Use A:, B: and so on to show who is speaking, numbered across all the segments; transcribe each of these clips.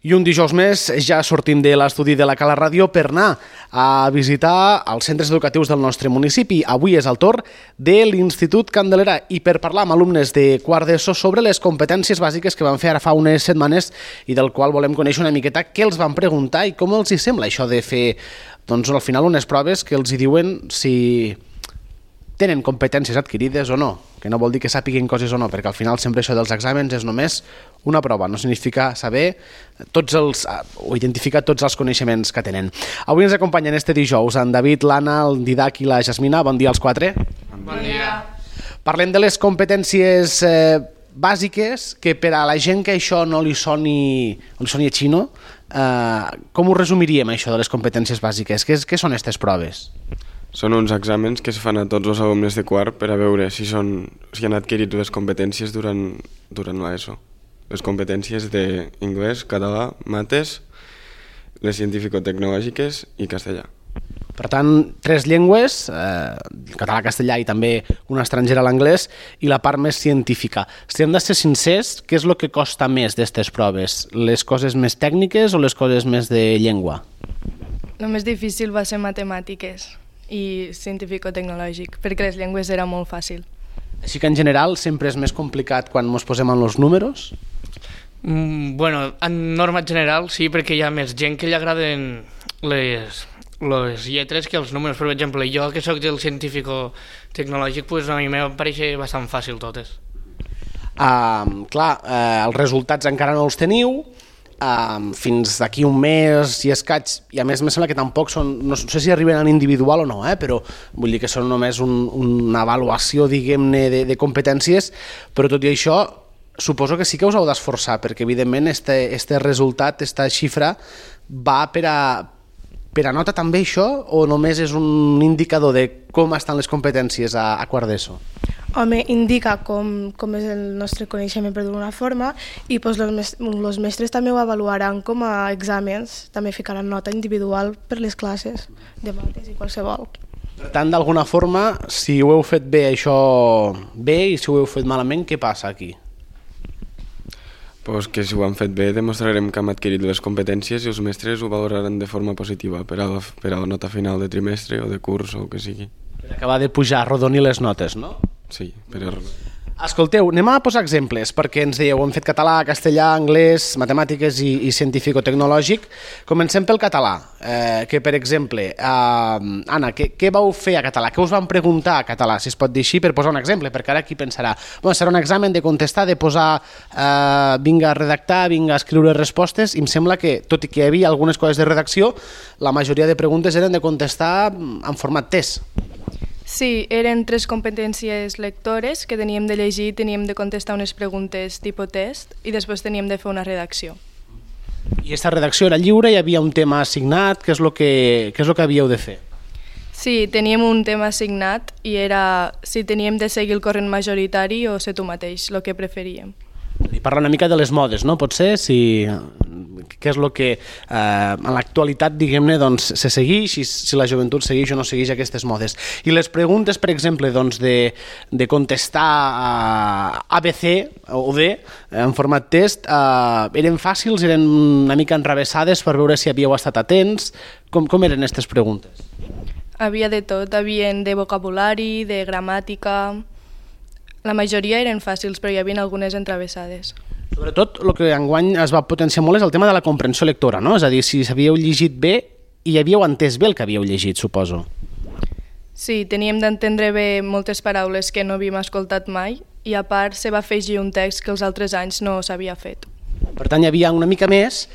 A: I un dijous més ja sortim de l'estudi de la Cala Ràdio per anar a visitar els centres educatius del nostre municipi. Avui és el torn de l'Institut Candelera i per parlar amb alumnes de quart d'ESO sobre les competències bàsiques que van fer ara fa unes setmanes i del qual volem conèixer una miqueta què els van preguntar i com els hi sembla això de fer, doncs, al final unes proves que els hi diuen si tenen competències adquirides o no, que no vol dir que sàpiguen coses o no, perquè al final sempre això dels exàmens és només una prova, no significa saber o identificar tots els coneixements que tenen. Avui ens acompanyen este dijous en David, l'Anna, el Didac i la Jasmina. Bon dia als quatre.
B: Bon dia.
A: Parlem de les competències bàsiques que per a la gent que això no li soni a xino, com ho resumiríem això de les competències bàsiques? Què són aquestes proves?
B: Són uns exàmens que es fan a tots els alumnes de quart per a veure si han adquirit les competències durant l'ESO. Les competències d'anglès, català, mates, les científico-tecnològiques i castellà.
A: Per tant, 3 llengües, català, castellà i també una estrangera, l'anglès, i la part més científica. Si hem de ser sincers, què és el que costa més d'aquestes proves? Les coses més tècniques o les coses més de llengua?
C: El més difícil va ser matemàtiques i científico-tecnològic, perquè les llengües era molt fàcil.
A: Així que en general sempre és més complicat quan ens posem en els números?
D: Bueno, en norma general sí, perquè hi ha més gent que li agraden les lletres que els números. Per exemple, jo que sóc del científico-tecnològic, pues a mi em pareix bastant fàcil totes.
A: Clar, els resultats encara no els teniu, fins d'aquí un mes i escaig, i a més me sembla que tampoc són, no sé si arriben en individual o no, però vull dir que són només una avaluació, diguem-ne, de competències, però tot i això suposo que sí que us heu d'esforçar, perquè evidentment este resultat, esta xifra, va per a nota també això, o només és un indicador de com estan les competències a quart d'ESO?
E: Home, indica com és el nostre coneixement per d'una forma i els mestres també ho avaluaran com a exàmens, també ficaran nota individual per les classes de mates i qualsevol.
A: Per tant, d'alguna forma, si ho heu fet bé això bé i si ho heu fet malament, què passa aquí?
B: Pues que si ho han fet bé demostrarem que hem adquirit les competències i els mestres ho valoraran de forma positiva per a la nota final de trimestre o de curs o el que sigui.
A: Per acabar de pujar, arrodonir les notes, no?
B: Sí,
A: Escolteu, anem a posar exemples, perquè ens dèieu, hem fet català, castellà, anglès, matemàtiques i científico-tecnològic. Comencem pel català, que per exemple, Anna, què vau fer a català? Què us van preguntar a català, si es pot dir així, per posar un exemple? Perquè ara qui pensarà, serà un examen de contestar, de posar, vinga a redactar, vinga a escriure respostes, i em sembla que, tot i que hi havia algunes coses de redacció, la majoria de preguntes eren de contestar en format test.
C: Sí, eren 3 competències lectores que teníem de llegir, teníem de contestar unes preguntes tipus test i després teníem de fer una redacció.
A: I aquesta redacció era lliure? Hi havia un tema assignat? Què és el que havíeu de fer?
C: Sí, teníem un tema assignat i era si teníem de seguir el corrent majoritari o ser tu mateix, el que preferíem.
A: I parla una mica de les modes, no? Potser, què és el que en l'actualitat, diguem-ne, doncs, se segueix, si la joventut segueix o no segueix aquestes modes. I les preguntes, per exemple, doncs, de contestar ABC o D en format test, eren fàcils, eren una mica enrevessades per veure si havíeu estat atents? Com eren aquestes preguntes?
C: Havia de tot, havien de vocabulari, de gramàtica. La majoria eren fàcils, però hi havia algunes entravessades.
A: Sobretot, el que enguany es va potenciar molt és el tema de la comprensió lectora, no? És a dir, si havíeu llegit bé i havíeu entès bé el que havíeu llegit, suposo.
C: Sí, teníem d'entendre bé moltes paraules que no havíem escoltat mai i a part se va afegir un text que els altres anys no s'havia fet.
A: Per tant, hi havia una mica més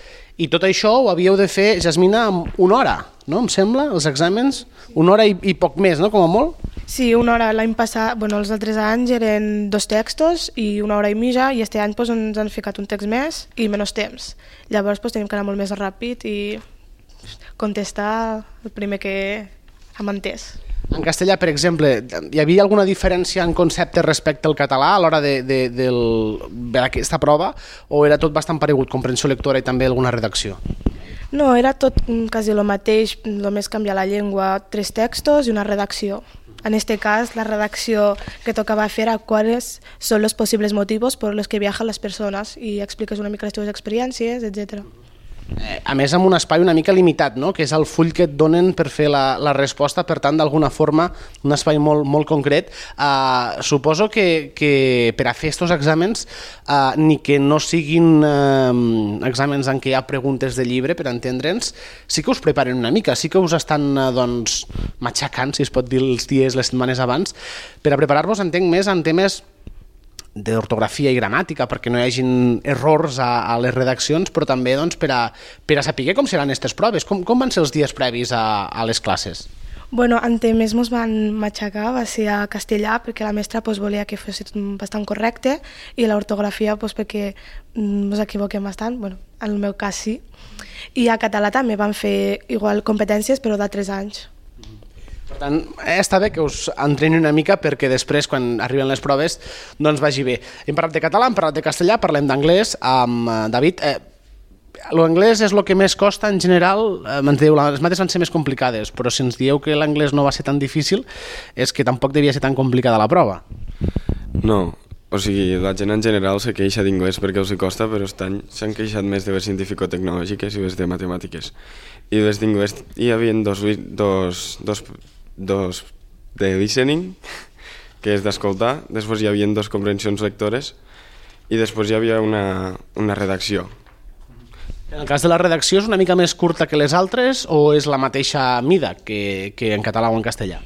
A: i tot això ho havíeu de fer, Jasmina, en una hora, no? Em sembla, els exàmens? Una hora i poc més, no? Com a molt?
E: Sí, una hora. L'any passat, els altres anys eren 2 textos i una hora i mitja i este any ens han ficat un text més i menys temps. Llavors tenim que anar molt més ràpid i contestar el primer que hem entès.
A: En castellà, per exemple, hi havia alguna diferència en concepte respecte al català a l'hora d'aquesta prova o era tot bastant paregut, comprensió lectora i també alguna redacció?
E: No, era tot quasi el mateix, només canviar la llengua, 3 textos i una redacció. En este cas, la redacció que tocava fer era cuáles son los posibles motivos por los que viajan las personas y expliques una mica les teves experiències, etc.
A: A més, amb un espai una mica limitat, no? Que és el full que et donen per fer la resposta, per tant, d'alguna forma, un espai molt concret. Suposo que per a fer aquests exàmens, ni que no siguin exàmens en què hi ha preguntes de llibre, per entendre'ns, sí que us preparen una mica, sí que us estan matxacant, si es pot dir, els dies, les setmanes abans, per a preparar-vos, entenc, més en temes d'ortografia i gramàtica, perquè no hi hagin errors a les redaccions, però també per a saber com seran aquestes proves. Com van ser els dies previs a les classes?
E: Bueno, en temes ens van matxacar, va ser a castellà, perquè la mestra volia que fos bastant correcte, i l'ortografia perquè ens equivoquem bastant, bueno, en el meu cas sí. I a català també van fer igual competències, però de 3 anys.
A: Per tant, està bé que us entreni una mica perquè després, quan arriben les proves, doncs vagi bé. Hem parlat de català, hem parlat de castellà, parlem d'anglès. David, l'anglès és el que més costa en general. Ens diu, les mates van ser més complicades, però si ens dieu que l'anglès no va ser tan difícil, és que tampoc devia ser tan complicada la prova.
B: No, o sigui, la gent en general se queixa d'inglès perquè els costa, però aquest any s'han queixat més de les científico-tecnològiques i les de matemàtiques. I les d'inglès hi havia dos de listening, que és d'escoltar, després hi havia 2 comprensions lectores i després hi havia una redacció.
A: En el cas de la redacció és una mica més curta que les altres o és la mateixa mida que en català o en castellà?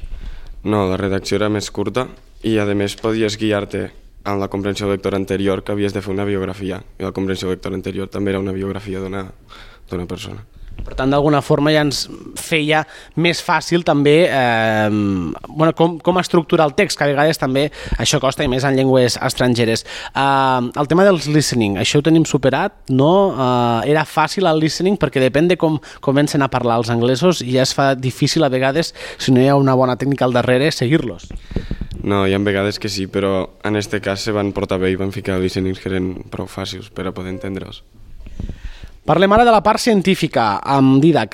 B: No, la redacció era més curta i a més podies guiar-te en la comprensió lectora anterior, que havies de fer una biografia, i la comprensió lectora anterior també era una biografia d'una persona.
A: Per tant, d'alguna forma ja ens feia més fàcil també com estructurar el text, que a vegades també això costa, i més en llengües estrangeres. El tema dels listening, això ho tenim superat, no? Era fàcil el listening perquè depèn de com comencen a parlar els anglesos i ja es fa difícil a vegades, si no hi ha una bona tècnica al darrere, seguir-los.
B: No, hi ha vegades que sí, però en aquest cas se van portar bé i van ficar listenings que eren prou fàcils per a poder entendre'ls.
A: Parlem ara de la part científica, amb Didac,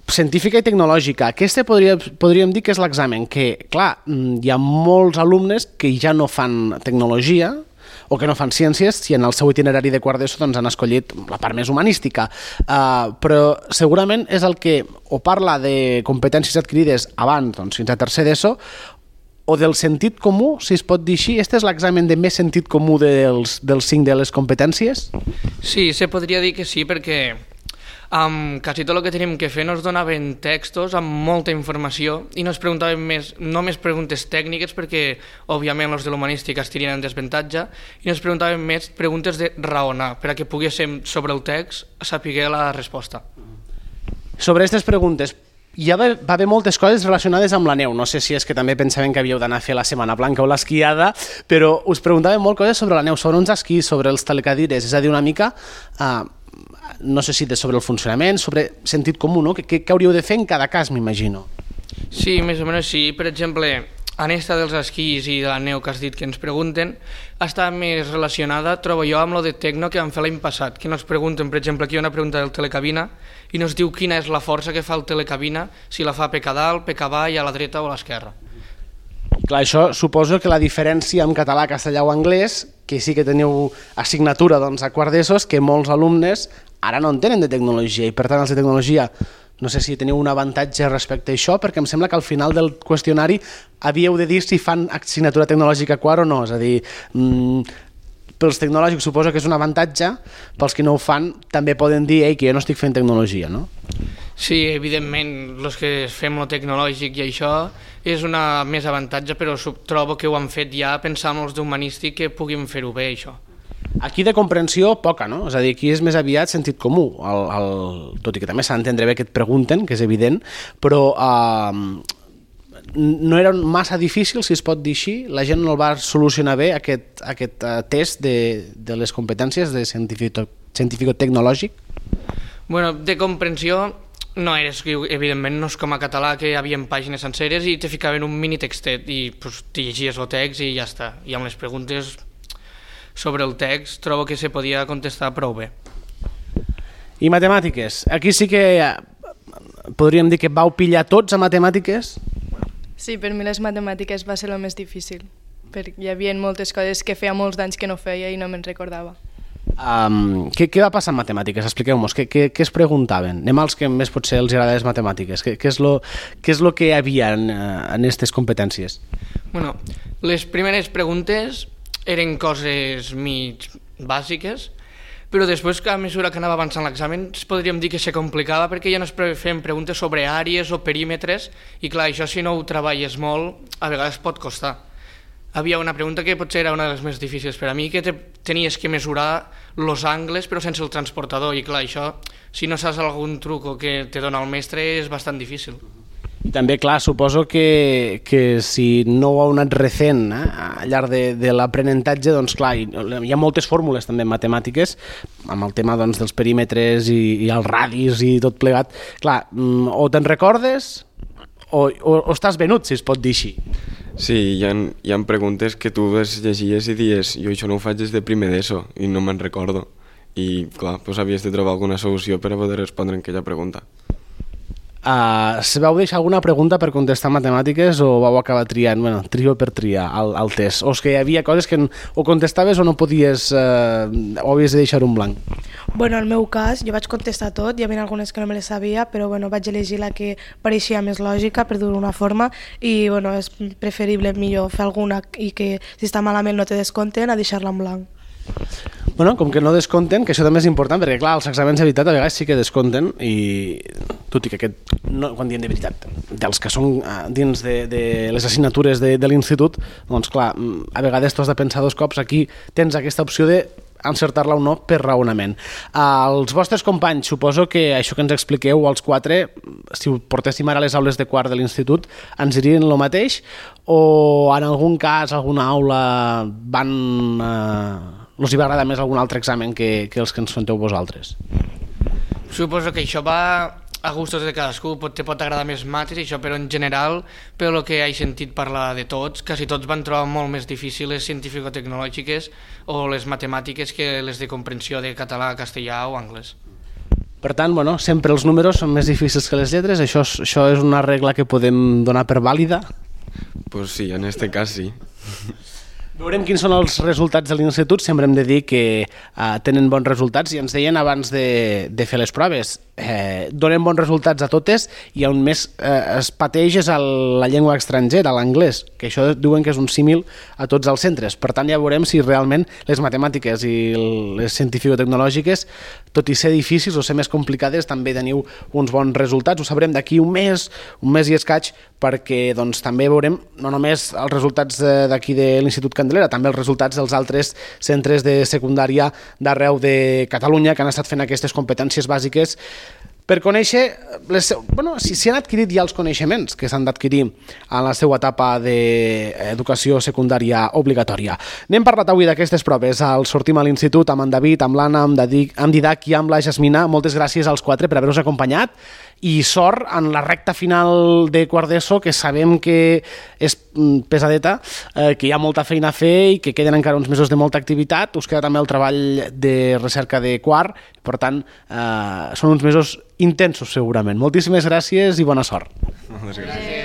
A: científica i tecnològica. Aquesta podríem dir que és l'examen, que, clar, hi ha molts alumnes que ja no fan tecnologia o que no fan ciències, si en el seu itinerari de quart d'ESO han escollit la part més humanística, però segurament és el que o parla de competències adquirides abans, fins a tercer d'ESO, o del sentit comú, si es pot dir així. Este és l'examen de més sentit comú dels 5 de les competències?
D: Sí, se podria dir que sí, perquè quasi tot el que tenim que fer nos donaven textos amb molta informació i nos preguntaven només preguntes tècniques, perquè òbviament els de l'humanística estirien en desventatge, i nos preguntaven més preguntes de raonar, per a que poguéssim sobre el text saber la resposta.
A: Sobre aquestes preguntes, ja va haver moltes coses relacionades amb la neu. No sé si és que també pensaven que havíeu d'anar a fer la Setmana Blanca o l'esquiada, però us preguntaven molt coses sobre la neu, sobre uns esquís, sobre els telecadires, és a dir, una mica, no sé si sobre el funcionament, sobre sentit comú, no? Què hauríeu de fer en cada cas, m'imagino.
D: Sí, més o menys sí. Per exemple, en esta dels esquís i de la neu que has dit que ens pregunten, està més relacionada, trobo jo, amb lo de Tecno que vam fer l'any passat, que nos pregunten, per exemple, aquí hi ha una pregunta del telecabina i nos diu quina és la força que fa el telecabina, si la fa pec a dalt, pec avall, a la dreta o a l'esquerra.
A: Clar, això suposo que la diferència amb català, castellà o anglès, que sí que teniu assignatura a quart d'ESO, que molts alumnes ara no en tenen de tecnologia, i per tant els de tecnologia no sé si teniu un avantatge respecte a això, perquè em sembla que al final del qüestionari havíeu de dir si fan assignatura tecnològica quart o no, és a dir, pels tecnològics suposo que és un avantatge, pels que no ho fan també poden dir que jo no estic fent tecnologia, no?
D: Sí, evidentment, els que fem lo tecnològic i això és una més avantatge, però trobo que ho han fet ja pensant en els d'humanístic que puguin fer-ho bé, això.
A: Aquí de comprensió poca, no? És a dir, aquí és més aviat sentit comú, tot i que també s'ha d'entendre bé que et pregunten, que és evident, però no era massa difícil, si es pot dir així, la gent no el va solucionar bé, aquest test de les competències de científico-tecnològic?
D: Bueno, de comprensió no era, evidentment, no és com a català que hi havia pàgines senceres i te ficaven un mini textet i te llegies el text i ja està. I amb les preguntes sobre el text trobo que se podia contestar prou bé.
A: I matemàtiques? Aquí sí que podríem dir que vau pillar tots a matemàtiques?
C: Sí, per mi les matemàtiques va ser el més difícil, perquè hi havia moltes coses que feia molts d'anys que no feia i no me'n recordava.
A: Què va passar en matemàtiques? Expliqueu-nos, què es preguntaven? Anem als que més potser els agrada les matemàtiques. Què és lo que hi havia en aquestes competències?
D: Bueno, les primeres preguntes eren coses mig bàsiques, però després, a mesura que anava avançant l'examen, podríem dir que se complicava perquè ja no es feien preguntes sobre àrees o perímetres i clar, això si no ho treballes molt, a vegades pot costar. Havia una pregunta que potser era una de les més difícils per a mi, que tenies que mesurar els angles però sense el transportador i clar, això, si no saps algun truco que te dona el mestre és bastant difícil.
A: I també, clar, suposo que si no ho heu anat recent al llarg de l'aprenentatge, doncs clar, hi ha moltes fórmules també en matemàtiques, amb el tema doncs, dels perímetres i els radis i tot plegat. Clar, o te'n recordes o estàs venut, si es pot dir així.
B: Sí, hi ha preguntes que tu les llegies i dies jo això no ho faig des de primer d'ESO i no me'n recordo. I clar, doncs havies de trobar alguna solució per a poder respondre en aquella pregunta.
A: Vau deixar alguna pregunta per contestar matemàtiques o vau acabar triant, trio per triar el test? O és que hi havia coses que o contestaves o no podies, o havies de deixar un blanc?
E: Bueno, en el meu cas, jo vaig contestar tot, hi havia algunes que no me les sabia, però vaig elegir la que pareixia més lògica, per dir-ho d'una forma, i és preferible millor fer alguna i que si està malament no te descompten a deixar-la en blanc.
A: Com que no descompten, que això també és important, perquè clar, els exàmens de veritat a vegades sí que descompten, i tot i que quan diem de veritat, dels que són dins de les assignatures de l'institut, doncs clar, a vegades tu has de pensar 2 cops, aquí tens aquesta opció de encertar-la o no per raonament. Els vostres companys, suposo que això que ens expliqueu, els 4, si ho portéssim ara a les aules de quart de l'institut, ens dirien el mateix, o en algun cas, alguna aula els hi va agradar més algun altre examen que els que ens fenteu vosaltres?
D: Suposo que això va a gustos de cadascú, te pot agradar més mates i això, però en general, per el que he sentit parlar de tots, quasi tots van trobar molt més difícils les científico-tecnològiques o les matemàtiques que les de comprensió de català, castellà o anglès.
A: Per tant, sempre els números són més difícils que les lletres, això és una regla que podem donar per vàlida?
B: Pues sí, en este cas sí.
A: Veurem quins són els resultats de l'institut. Sempre hem de dir que tenen bons resultats i ens deien abans de fer les proves. Donen bons resultats a totes i on més es pateix és a la llengua estrangera, a l'anglès, que això diuen que és un símil a tots els centres. Per tant, ja veurem si realment les matemàtiques i les científico-tecnològiques, tot i ser difícils o ser més complicades, també teniu uns bons resultats. Ho sabrem d'aquí un mes i escaig, perquè també veurem no només els resultats d'aquí de l'Institut Candelera, també els resultats dels altres centres de secundària d'arreu de Catalunya que han estat fent aquestes competències bàsiques per conèixer, si han adquirit ja els coneixements que s'han d'adquirir en la seva etapa d'educació secundària obligatòria. N'hem parlat avui d'aquestes proves. Sortim a l'institut amb en David, amb l'Anna, amb Didac i amb la Jasmina. Moltes gràcies als 4 per haver-nos acompanyat i sort en la recta final de quart d'ESO, que sabem que és pesadeta, que hi ha molta feina a fer i que queden encara uns mesos de molta activitat. Us queda també el treball de recerca de quart, per tant, són uns mesos intensos segurament. Moltíssimes gràcies i bona sort.
B: Moltes gràcies.